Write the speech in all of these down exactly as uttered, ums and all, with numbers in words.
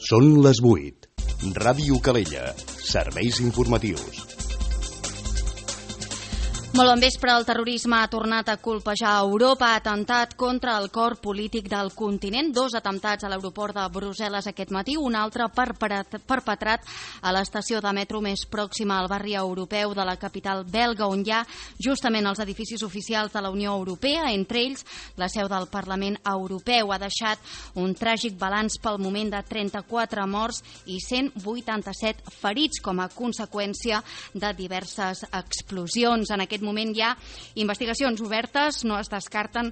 Són les vuit. Ràdio Calella. Serveis informatius. Molt bon vespre. El terrorisme ha tornat a colpejar Europa. Ha atemptat contra el cor polític del continent. Dos atemptats a l'aeroport de Brussel·les aquest matí, un altre perpetrat a l'estació de metro més pròxima al barri europeu de la capital belga, on hi ha justament els edificis oficials de la Unió Europea, entre ells la seu del Parlament Europeu. Ha deixat un tràgic balanç pel moment de trenta-quatre morts i cent vuitanta-set ferits com a conseqüència de diverses explosions. En aquest moment hi ha investigacions obertes, no es descarten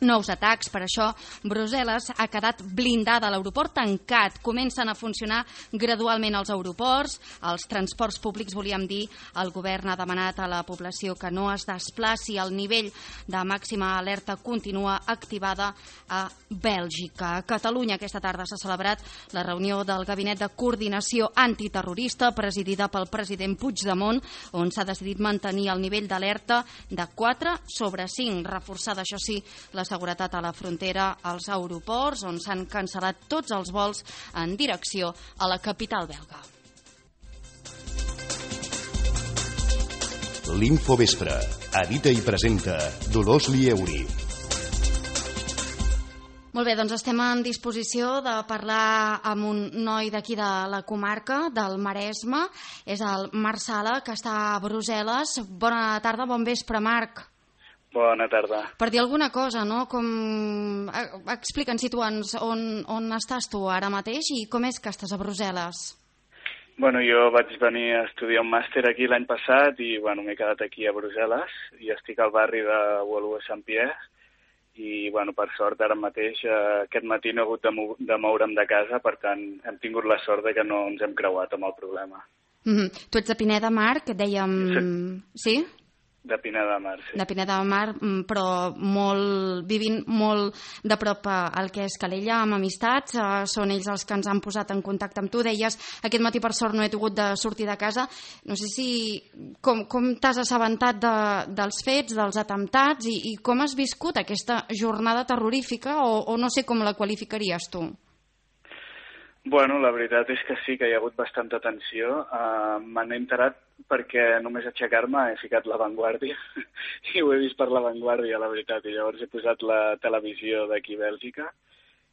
nous atacs. Per això Brussel·les ha quedat blindada, l'aeroport tancat. Comencen a funcionar gradualment els aeroports, els transports públics, volíem dir. El govern ha demanat a la població que no es desplaci. El nivell de màxima alerta continua activada a Bèlgica. A Catalunya aquesta tarda s'ha celebrat la reunió del Gabinet de Coordinació Antiterrorista presidida pel president Puigdemont, on s'ha decidit mantenir el nivell d'alerta de quatre sobre cinc, reforçada, això sí, la seguretat a la frontera, als aeroports, on s'han cancel·lat tots els vols en direcció a la capital belga. L'Infovespre. Edita i presenta Dolors Lieuri. Molt bé, doncs estem en disposició de parlar amb un noi d'aquí de la comarca, del Maresme. És el Marc Sala, que està a Brussel·les. Bona tarda, bon vespre, Marc. Bona tarda. Per dir alguna cosa, no? Com... Explica'ns, situa'ns on, on estàs tu ara mateix i com és que estàs a Brussel·les. Bueno, jo vaig venir a estudiar un màster aquí l'any passat i bueno, m'he quedat aquí a Brussel·les i estic al barri de Woluwe-Saint-Pierre i bueno, per sort ara mateix eh, aquest matí no he hagut de, mou de moure'm de casa, per tant hem tingut la sort de que no ens hem creuat amb el problema. Mm-hmm. Tu ets de Pineda de Mar, que dèiem... Sí? Sí? De Pineda de Mar, sí. De Pineda de Mar, però molt, vivint molt de prop al que és Calella, amb amistats. Són ells els que ens han posat en contacte amb tu. Deies, aquest matí per sort no he tingut de sortir de casa. No sé si... Com, com t'has assabentat de, dels fets, dels atemptats, i, i com has viscut aquesta jornada terrorífica, o, o no sé com la qualificaries tu? Bueno, la veritat és que sí, que hi ha hagut bastanta tensió. Uh, Me n'he enterat perquè només aixecar-me he ficat La Vanguardia i ho he vist per La Vanguardia, la veritat. I llavors he posat la televisió d'aquí a Bèlgica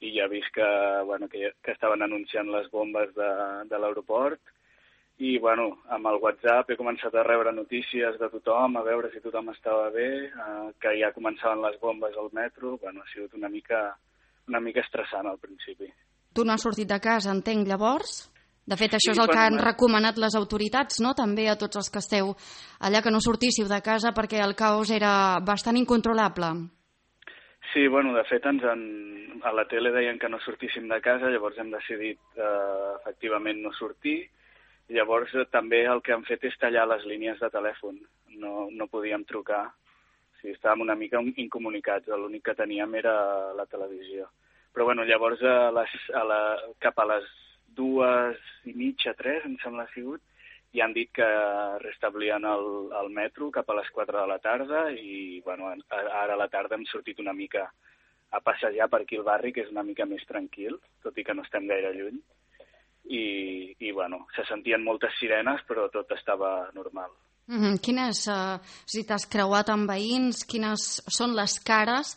i ja he vist que, bueno, que, que estaven anunciant les bombes de, de l'aeroport. I bueno, amb el WhatsApp he començat a rebre notícies de tothom, a veure si tothom estava bé, uh, que ja començaven les bombes al metro. Bueno, ha sigut una mica, una mica estressant al principi. Tu no has sortit de casa, entenc, llavors? De fet, això sí, és el que han recomanat les autoritats, no?, també a tots els que esteu allà, que no sortíssiu de casa perquè el caos era bastant incontrolable. Sí, bueno, de fet, ens han... a la tele deien que no sortíssim de casa, llavors hem decidit eh, efectivament no sortir. Llavors eh, també el que han fet és tallar les línies de telèfon. No, no podíem trucar. O sigui, estàvem una mica incomunicats, l'únic que teníem era la televisió. Però bueno, llavors a les, a la, cap a les dues i mitja, tres, em sembla que ha sigut, i han dit que restablien el, el metro cap a les quatre de la tarda i bueno, ara a la tarda hem sortit una mica a passejar per aquí al barri, que és una mica més tranquil, tot i que no estem gaire lluny. I, i bueno, se sentien moltes sirenes, però tot estava normal. Mm-hmm. Quines, uh, si t'has creuat amb veïns, quines són les cares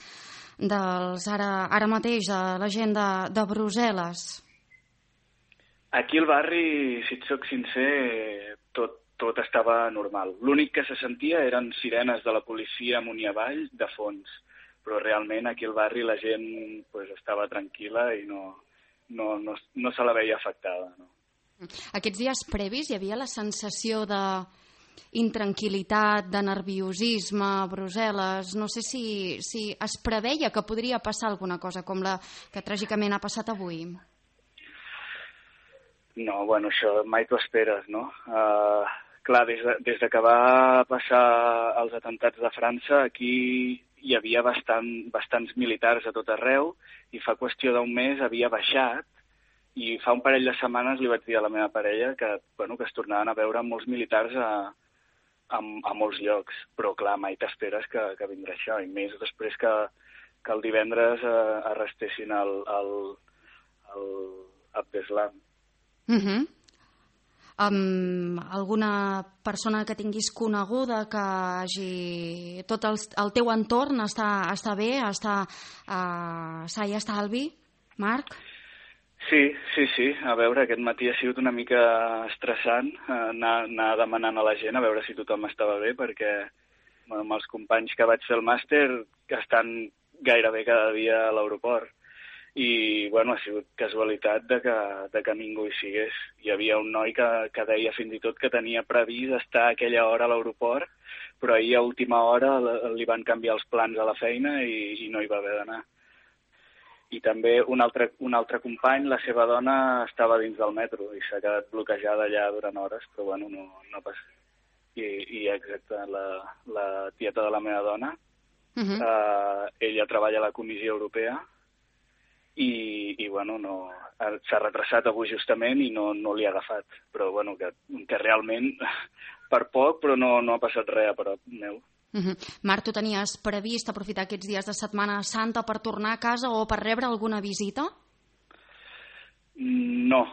dels ara, ara mateix de la gent de, de Brussel·les? Aquí al barri, si et soc sincer, tot, tot estava normal. L'únic que se sentia eren sirenes de la policia amunt i avall, de fons. Però realment aquí al barri la gent pues, estava tranquil·la i no, no, no, no se la veia afectada. No? Aquests dies previs hi havia la sensació de intranquil·litat, de nerviosisme a Brussel·les. No sé si, si es preveia que podria passar alguna cosa com la que tràgicament ha passat avui. No, bueno, això mai t'ho esperes, no? Uh, clar, des de, des de que va passar els atemptats de França, aquí hi havia bastant, bastants militars a tot arreu i fa qüestió d'un mes havia baixat i fa un parell de setmanes li vaig dir a la meva parella que, bueno, que es tornaven a veure molts militars a, a, a molts llocs, però clar, mai t'esperes que, que vindrà això, i més després que, que el divendres eh, arrestessin el, el, el, Abdeslam. Mhm. Um, alguna persona que tinguis coneguda que hagi... tot el, el teu entorn està, està bé, està uh, sa i estalvi, Marc? Sí, sí, sí. A veure, aquest matí ha sigut una mica estressant uh, anar, anar demanant a la gent a veure si tothom estava bé, perquè amb els companys que vaig fer el màster estan gairebé cada dia a l'aeroport. I, bueno, ha sigut casualitat de que, de que ningú hi sigués. Hi havia un noi que, que deia fins i tot que tenia previst estar a aquella hora a l'aeroport, però ahir a última hora li van canviar els plans a la feina i, i no hi va haver d'anar. I també un altre, un altre company, la seva dona, estava dins del metro i s'ha quedat bloquejada allà durant hores, però, bueno, no, no passa. I, i exacte, la, la tieta de la meva dona, uh-huh. eh, ella treballa a la Comissió Europea, i, i bueno, no, s'ha retrasat avui justament i no, no l'hi ha agafat, però bueno, que, que realment per poc, però no, no ha passat res a prop meu. Uh-huh. Marc, tu tenies previst aprofitar aquests dies de Setmana Santa per tornar a casa o per rebre alguna visita? No,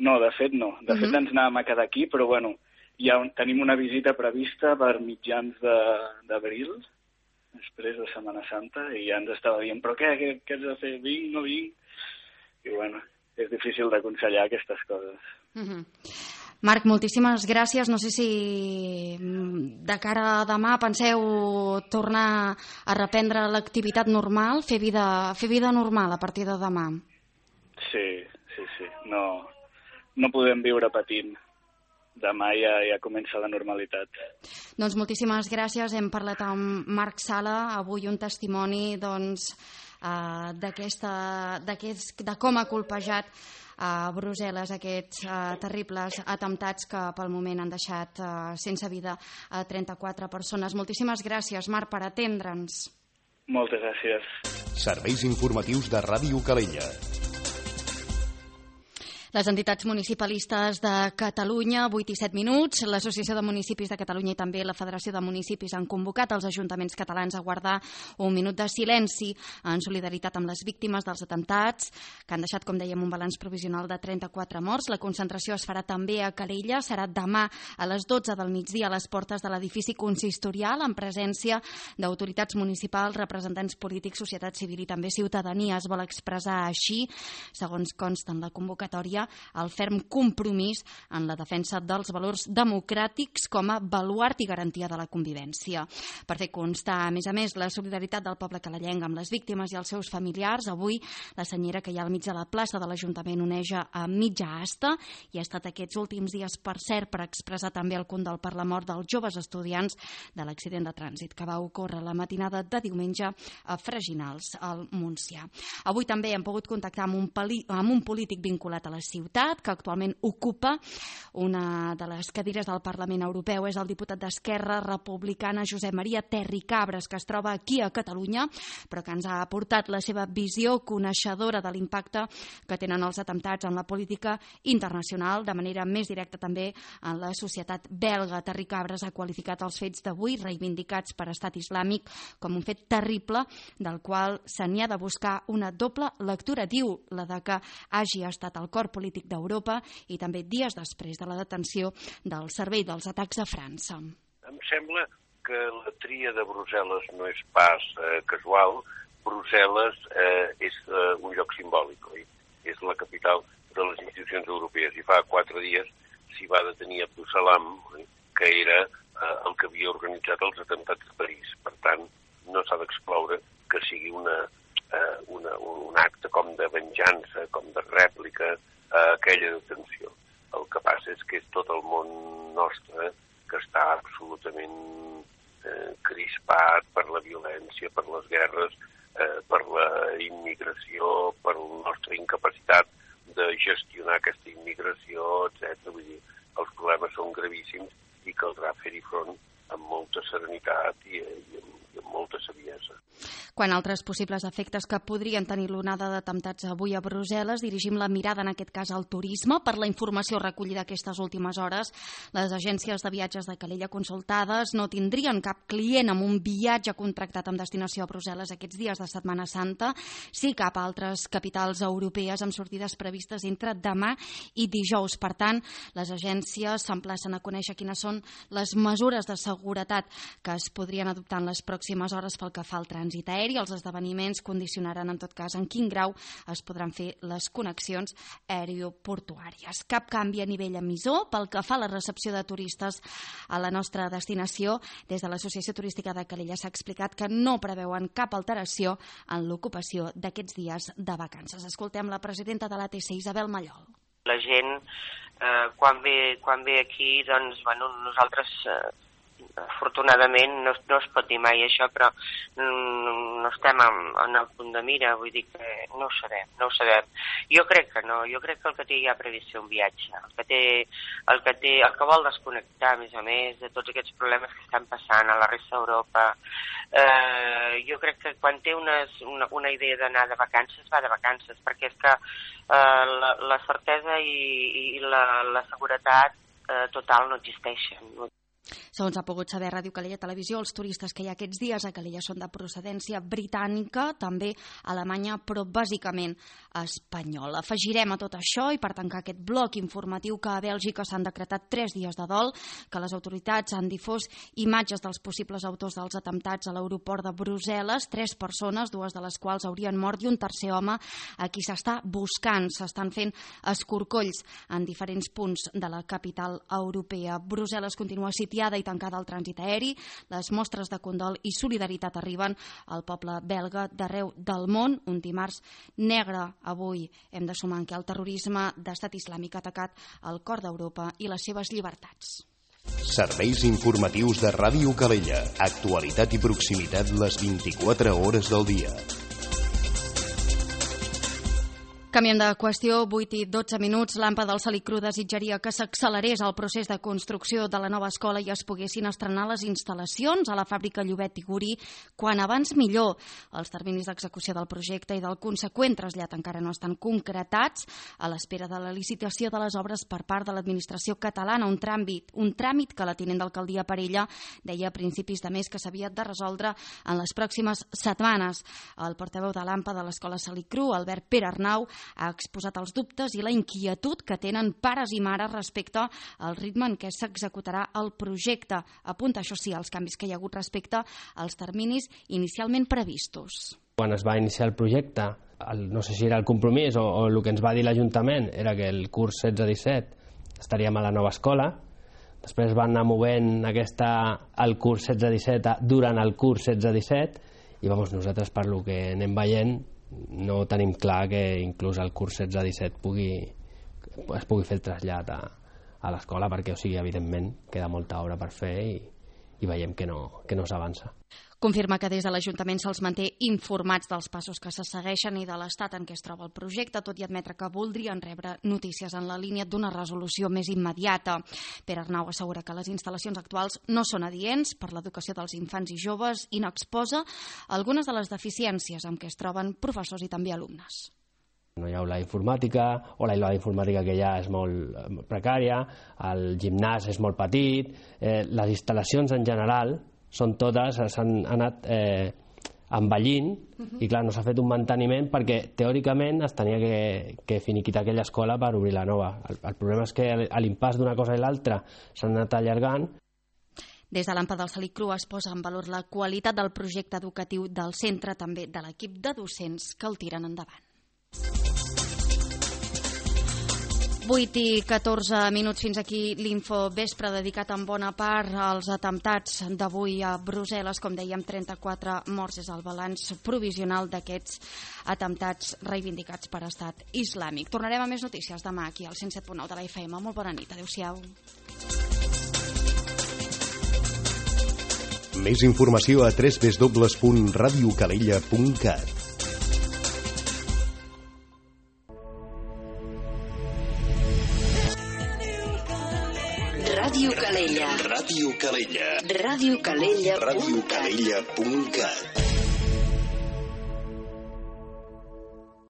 no, de fet no. De uh-huh. fet ens anàvem a quedar aquí, però bueno, ja tenim una visita prevista per mitjans d'abril, després de Setmana Santa, i ja ens estava dient, però què, què, què has de fer? Vinc, no vinc? I bueno, és difícil d'aconsellar aquestes coses. Uh-huh. Marc, moltíssimes gràcies. No sé si de cara a demà penseu tornar a reprendre l'activitat normal, fer vida, fer vida normal a partir de demà. Sí, sí, sí. No, no podem viure patint. Demà ja, ja comença la normalitat. Doncs moltíssimes gràcies. Hem parlat amb Marc Sala, avui un testimoni doncs, uh, d'aquesta, d'aquest, de com ha colpejat a Brussel·les aquests uh, terribles atemptats que pel moment han deixat uh, sense vida a trenta-quatre persones. Moltíssimes gràcies, Marc, per atendre'ns. Moltes gràcies. Serveis informatius de Ràdio Calella. Les entitats municipalistes de Catalunya, vuit i set minuts, l'Associació de Municipis de Catalunya i també la Federació de Municipis han convocat els ajuntaments catalans a guardar un minut de silenci en solidaritat amb les víctimes dels atemptats, que han deixat, com dèiem, un balanç provisional de trenta-quatre morts. La concentració es farà també a Calella, serà demà a les dotze del migdia a les portes de l'edifici consistorial, en presència d'autoritats municipals, representants polítics, societat civil i també ciutadania. Es vol expressar així, segons consta en la convocatòria, el ferm compromís en la defensa dels valors democràtics com a baluart i garantia de la convivència. Per fer constar, a més a més, la solidaritat del poble calellenc amb les víctimes i els seus familiars, avui la senyera que hi ha al mig de la plaça de l'Ajuntament oneja a mitja asta i ha estat aquests últims dies, per cert, per expressar també el condol per la mort dels joves estudiants de l'accident de trànsit que va ocórrer la matinada de diumenge a Freginals, al Montsià. Avui també hem pogut contactar amb un, pali, amb un polític vinculat a la ciutat, que actualment ocupa una de les cadires del Parlament Europeu. És el diputat d'Esquerra Republicana Josep Maria Terricabras, que es troba aquí a Catalunya, però que ens ha aportat la seva visió coneixedora de l'impacte que tenen els atemptats en la política internacional, de manera més directa també en la societat belga. Terricabras ha qualificat els fets d'avui, reivindicats per Estat Islàmic, com un fet terrible del qual se n'hi ha de buscar una doble lectura. Diu la de que hagi estat el cor polític d'Europa i també dies després de la detenció del servei dels atacs a França. Em sembla que la tria de Brussel·les no és pas eh, casual. Brussel·les eh, és eh, un lloc simbòlic, oi? És la capital de les institucions europees i fa quatre dies s'hi va detenir Abdus Salam, oi? Que era eh, el que havia organitzat els atemptats de París. Per tant, no s'ha d'excloure que sigui una, eh, una, un acte com de venjança, com de rèplica a aquella detenció. El que passa és que és tot el món nostre que està absolutament eh, crispat per la violència, per les guerres, eh, per la immigració, per la nostra incapacitat de gestionar aquesta immigració, etcètera. Vull dir, els problemes són gravíssims i caldrà fer-hi front amb molta serenitat i, i, amb, i amb molta saviesa. Quant a altres possibles efectes que podrien tenir l'onada d'atemptats avui a Brussel·les, dirigim la mirada, en aquest cas, al turisme. Per la informació recollida aquestes últimes hores, les agències de viatges de Calella consultades no tindrien cap client amb un viatge contractat amb destinació a Brussel·les aquests dies de Setmana Santa, sí cap a altres capitals europees amb sortides previstes entre demà i dijous. Per tant, les agències s'emplacen a conèixer quines són les mesures de seguretat que es podrien adoptar en les pròximes hores pel que fa al trànsit aeri. Els esdeveniments condicionaran, en tot cas, en quin grau es podran fer les connexions aeroportuàries. Cap canvi a nivell emissor pel que fa a la recepció de turistes a la nostra destinació. Des de l'Associació Turística de Calella s'ha explicat que no preveuen cap alteració en l'ocupació d'aquests dies de vacances. Escoltem la presidenta de l'A T C, Isabel Mallol. La gent, eh, quan, ve, quan ve aquí, doncs, bueno, nosaltres... Eh, afortunadament no, no es pot dir mai això, però mm, no estem en, en el punt de mira, vull dir que no ho sabem, no ho sabem. Jo crec que no, jo crec que el que té ja previst fer un viatge, el que té, el que té, el que vol desconnectar, a més a més, de tots aquests problemes que estan passant a la resta d'Europa, eh, jo crec que quan té unes, una, una idea d'anar de vacances, va de vacances, perquè és que eh, la, la certesa i, i la, la seguretat eh, total no existeixen. Segons ha pogut saber Ràdio Calella Televisió, els turistes que hi ha aquests dies a Calella són de procedència britànica, també alemanya, però bàsicament espanyola. Afegirem a tot això, i per tancar aquest bloc informatiu, que a Bèlgica s'han decretat tres dies de dol, que les autoritats han difós imatges dels possibles autors dels atemptats a l'aeroport de Brussel·les, tres persones, dues de les quals haurien mort, i un tercer home a qui s'està buscant. S'estan fent escorcolls en diferents punts de la capital europea. Brussel·les continua sitiada i tancada al trànsit aeri. Les mostres de condol i solidaritat arriben al poble belga d'arreu del món. Un dimarts negre avui. Hem de sumar que el terrorisme d'Estat Islàmic ha atacat el cor d'Europa i les seves llibertats. Serveis informatius de Ràdio Calella. Actualitat i proximitat les vint-i-quatre hores del dia. Canviem de qüestió, vuit i dotze minuts. L'AMPA del Salicru desitjaria que s'accelerés el procés de construcció de la nova escola i es poguessin estrenar les instal·lacions a la fàbrica Llobet i Gurí quan abans millor. Els terminis d'execució del projecte i del conseqüent trasllat encara no estan concretats, a l'espera de la licitació de les obres per part de l'administració catalana, un tràmit, un tràmit que la tinent d'alcaldia Parella deia a principis de mes que s'havia de resoldre en les pròximes setmanes. El portaveu de l'AMPA de l'Escola Salicru, Albert Pere Arnau, ha exposat els dubtes i la inquietud que tenen pares i mares respecte al ritme en què s'executarà el projecte. Apunta, això sí, els canvis que hi ha hagut respecte als terminis inicialment previstos. Quan es va iniciar el projecte, el, no sé si era el compromís o, o el que ens va dir l'Ajuntament era que el curs setze disset estaríem a la nova escola. Després van anar movent aquesta, el curs setze disset durant el curs setze disset i vamos, nosaltres, per lo que anem veient, no tenim clar que inclús el curs setze disset pugui, es pugui fer el trasllat a, a l'escola, perquè, o sigui, evidentment, queda molta obra per fer i, i veiem que no, que no s'avança. Confirma que des de l'Ajuntament se'ls manté informats dels passos que se segueixen i de l'estat en què es troba el projecte, tot i admetre que voldrien rebre notícies en la línia d'una resolució més immediata. Pere Arnau assegura que les instal·lacions actuals no són adients per l'educació dels infants i joves i n'exposa algunes de les deficiències amb què es troben professors i també alumnes. No hi ha aula d'informàtica, o l'aula d'informàtica que hi ha és molt precària, el gimnàs és molt petit, eh, les instal·lacions en general són totes, s'han anat eh, envellint, uh-huh. I clar, no s'ha fet un manteniment perquè teòricament es tenia que, que finiquitar aquella escola per obrir la nova. El, el problema és que a l'impàs d'una cosa i l'altra s'han anat allargant. Des de l'AMPA del Salicru es posa en valor la qualitat del projecte educatiu del centre, també de l'equip de docents que el tiren endavant. vuit i catorze minuts, fins aquí l'info vespre dedicat en bona part als atemptats d'avui a Brussel·les. Com dèiem, trenta-quatre morts és el balanç provisional d'aquests atemptats reivindicats per Estat Islàmic. Tornarem a més notícies demà aquí al cent set punt nou de la F M. Molt bona nit, adéu-siau. Més informació a w w w punt radio calella punt cat. Ràdio Calella. Ràdio Calella. Ràdio Calella. Ràdio Calella punt cat.